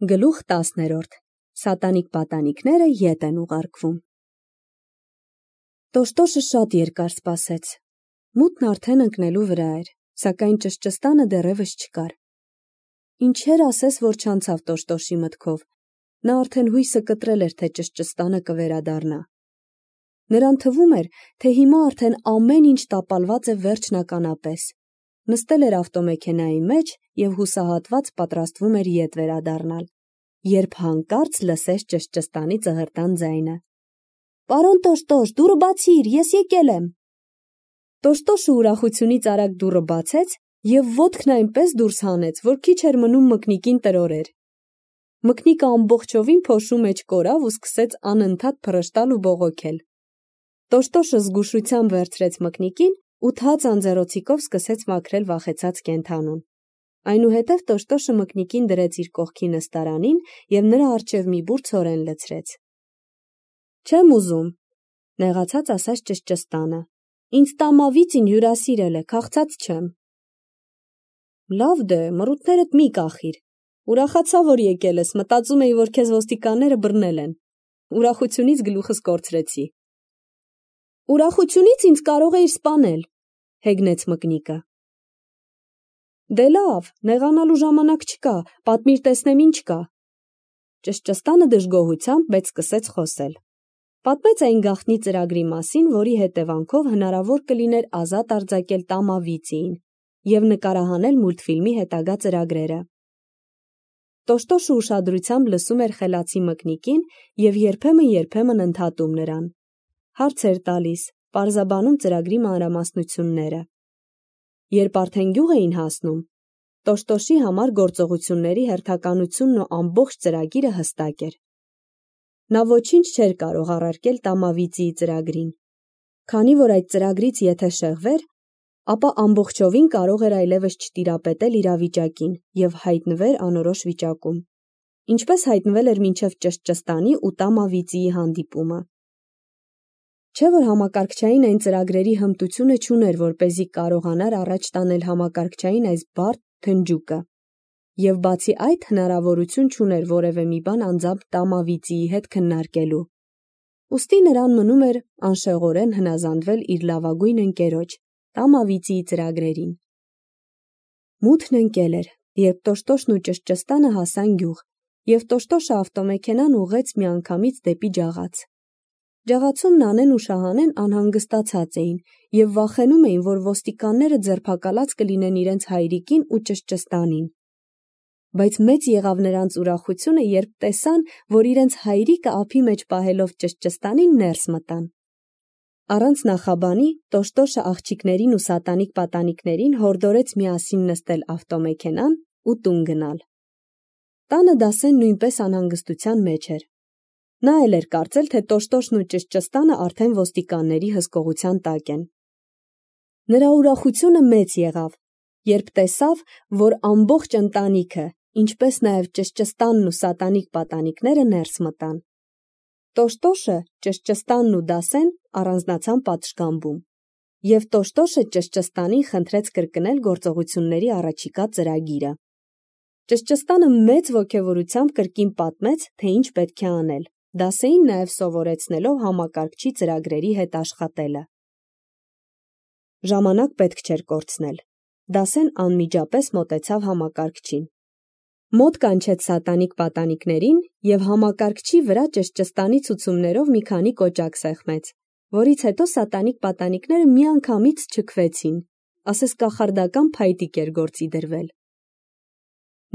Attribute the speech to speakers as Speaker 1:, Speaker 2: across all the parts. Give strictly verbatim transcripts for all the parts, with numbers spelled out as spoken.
Speaker 1: Գլուխ տասներորդ. Սատանիկ պատանիքները ետ են ուղարկվում։ Տոշտոշը շատ երկար սպասեց։ Մութն արդեն ընկնելու վրա էր, սակայն ճշճստանը դեռևս չկար։ Ինչեր ասես, որ չանցավ Տոշտոշի մտքով։ Նա արդեն հույսը կտրել էր, թե ճշճստանը կվերադառնա։ Նրան թվում էր, թե հիմա արդեն ամեն ինչ տապալված է վերջնականապես։ Նստել էր ավտոմեքենայի մեջ և հուսահատված պատրաստվում էր ետ վերադառնալ, երբ հանկարծ լսեց ճշճստանի ծղրտան ձայնը. «Պարոն Տոշտոշ, դուռը բացիր, ես եկել եմ»։ Տոշտոշը ուրախությունից արագ դուռը բացեց և ոտքն այնպես դուրս հանեց, որ քիչ էր մնում մկնիկին տրորեր։ Մկնիկը ամբողջովին փոշու մեջ կորավ ու սկսեց անընդհատ փռշտալ ու բողոքել։ Տոշտոշը զգուշությամբ վերցրեց մկնիկին ու թաց անձեռոցիկով սկսեց մաքրել վախեցած կենդանուն։ Այնուհետև Տոշտոշը մկնիկին դրեց իր կողքի նստարանին և նրա առջև մի բուռ ցորեն լցրեց։ «Չեմ ուզում», նեղացած ասաց ճշճստանը, «ինձ տամավիծին հյուրասիրել է, քաղցած չեմ»։ «Լավ դե, մռութներդ մի կախիր, ուրախացա, որ եկել ես, մտածում էի, որ քեզ ոստիկանները բռնել են»։ Ուրախությունից գլուխս կորցրեցի։ «Ուրախությունից ինձ կարող էիր սպանել», հեգնեց մկնիկը։ «Դե լավ, նեղանալու ժամանակ չկա, պատմիր տեսնեմ ինչ կա»։ Ճշճստանը դժգոհությամբ, բայց սկսեց խոսել։ Պատմեց այն գաղտնի ծրագրի մասին, որի հետևանքով հնարավոր կլիներ ազատ արձակել Տամավիծիին և նկարահանել մուլտֆիլմի հետագա ծրագրերը։ Տոշտոշը ուշադրությամբ լսում էր խելացի մկնիկին և երբեմն-երբեմն ընդհատում նրան։ Հարցեր տալիս, պարզաբանում ծրագրի մանրամասնությունները։ Երբ արդեն գյուղ էին հասնում, Տոշտոշի համար գործողությունների հերթականությունն ու ամբողջ ծրագիրը հստակ էր։ Նա ոչինչ չէր կարող առարկել Տամավիծիի ծրագրին, քանի որ այդ ծրագրից եթե շեղվեր, ապա ամբողջովին կարող էր այլևս չտիրապետել իրավիճակին և հայտնվեր անորոշ վիճակում, ինչպես հայտնվել էր մինչև ճշճստանի ու Տամավիծիի հանդիպումը։ Չէ՞ որ համակարգչային այն ծրագրերի հմտությունը չուներ, որպեսզի կարողանար առաջ տանել համակարգչային այս բարդ փնջուկը, և բացի այդ հնարավորություն չուներ որևէ մի բան անձամբ Տամավիծիի հետ քննարկելու։ Ուստի նրան մնում էր անշեղորեն հնազանդվել իր լավագույն ընկերոջ՝ Տամավիծիի ծրագրերին։ Մութն ընկել էր, երբ Տոշտոշն ու ճշճստանը հասան գյուղ, և Տոշտոշը ավտոմեքենան ուղղեց միանգամից դեպի ջաղաց։ Ջաղացում Նանեն ու Շահանեն անհանգստացած էին և վախենում էին, որ ոստիկանները ձերբակալած կլինեն իրենց հայրիկին ու ճշճստանին։ Բայց մեծ եղավ նրանց ուրախությունը, երբ տեսան, որ իրենց հայրիկը ափի մեջ պահելով ճշճստանին ներս մտան։ Առանց նախաբանի Տոշտոշը աղջիկներին ու սատանիկ պատանիքներին հորդորեց միասին նստել ավտոմեքենան ու տուն գնալ։ Տանը Դասեն նույնպես անհանգստության մեջ էր։ Նա էլ էր կարծել, թե Տոշտոշն ու ճշճստանը արդեն ոստիկանների հսկողության տակ են։ Նրա ուրախությունը մեծ եղավ, երբ տեսավ, որ ամբողջ ընտանիքը, ինչպես նաև ճշճստանն ու սատանիկ պատանիքները ներս մտան։ Տոշտոշը, ճշճստանն ու Դասեն առանձնացան պատշգամբում, և Տոշտոշը ճշճստանին խնդրեց կրկնել գործողությունների առաջիկա ծրագիրը։ Ճշճստանը մեծ ոգևորությամբ կրկին պատմեց, թե ինչ պետք է անել, Դասեին նաև սովորեցնելով համակարգչի ծրագրերի հետ աշխատելը։ Ժամանակ պետք չէր կորցնել։ Դասեն անմիջապես մոտեցավ համակարգչին։ Մոտ կանչեց սատանիկ պատանիքներին և համակարգչի վրա ճշճստանի ցուցումներով մի քանի կոճակ սեղմեց, որից հետո սատանիկ պատանիքները միանգամից չքվեցին, ասես կախարդական փայտիկ էր գործի դրվել։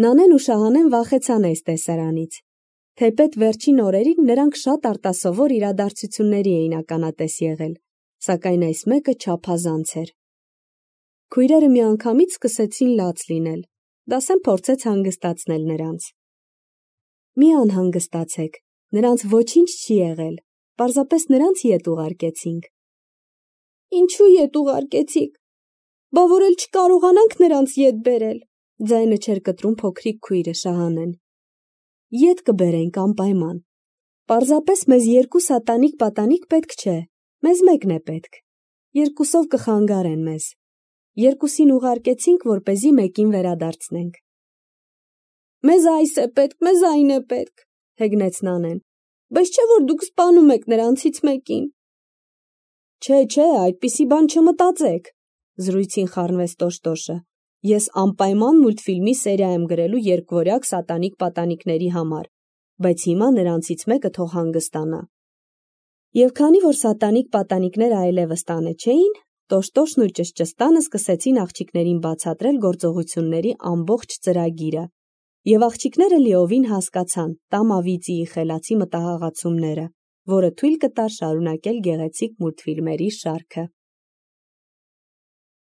Speaker 1: Նանեն ու Շահանեն վախեցան այս տեսարանից։ Թեպետ վերջին օրերին նրանք շատ արտասովոր իրադարձությունների էին ականատես եղել, սակայն այս մեկը չափազանց էր։ Քույրերը միանգամից սկսեցին լաց լինել։ Դասեն փորձեց հանգստացնել նրանց։ Մի անհանգստացեք, նրանց ոչինչ չի եղել, պարզապես նրանց ետ ուղարկեցինք։ Ինչու ետ ուղարկեցիք, բա որ էլ չկարողանանք նրանց ետ բերել, ձայնը չէր կտրում փոքրիկ քույրը Շահանեն։ Ետ կբերենք անպայման, պարզապես մեզ երկու սատանիկ պատանիք պետք չէ, մեզ մեկն է պետք, երկուսով կխանգարեն մեզ, երկուսին ուղարկեցինք, որպեսզի մեկին վերադարձնենք։ Մեզ այս է պետք, մեզ այն է պետք, հեգնեց Նանեն, բայց չէ որ դուք սպանում եք նրանցից մեկին։ Չէ, չէ, այդպիսի բան չմտածեք, զրույցին խառնվեց Տոշտոշը։ Ես անպայման մուլտֆիլմի սերիա եմ գրելու երկվորյակ սատանիկ պատանիքների համար, բայց հիմա նրանցից մեկը թող հանգստանա։ Եվ քանի որ սատանիկ պատանիքները այլևս տանը չէին, Տոշտոշն ու Ճշճստանը սկսեցին աղջիկներին բացատրել գործողությունների ամբողջ ծրագիրը, եւ աղջիկները լիովին հասկացան Տամավիծիի խելացի մտահղացումները, որը թույլ կտար շարունակել գեղեցիկ մուլտֆիլմերի շարքը։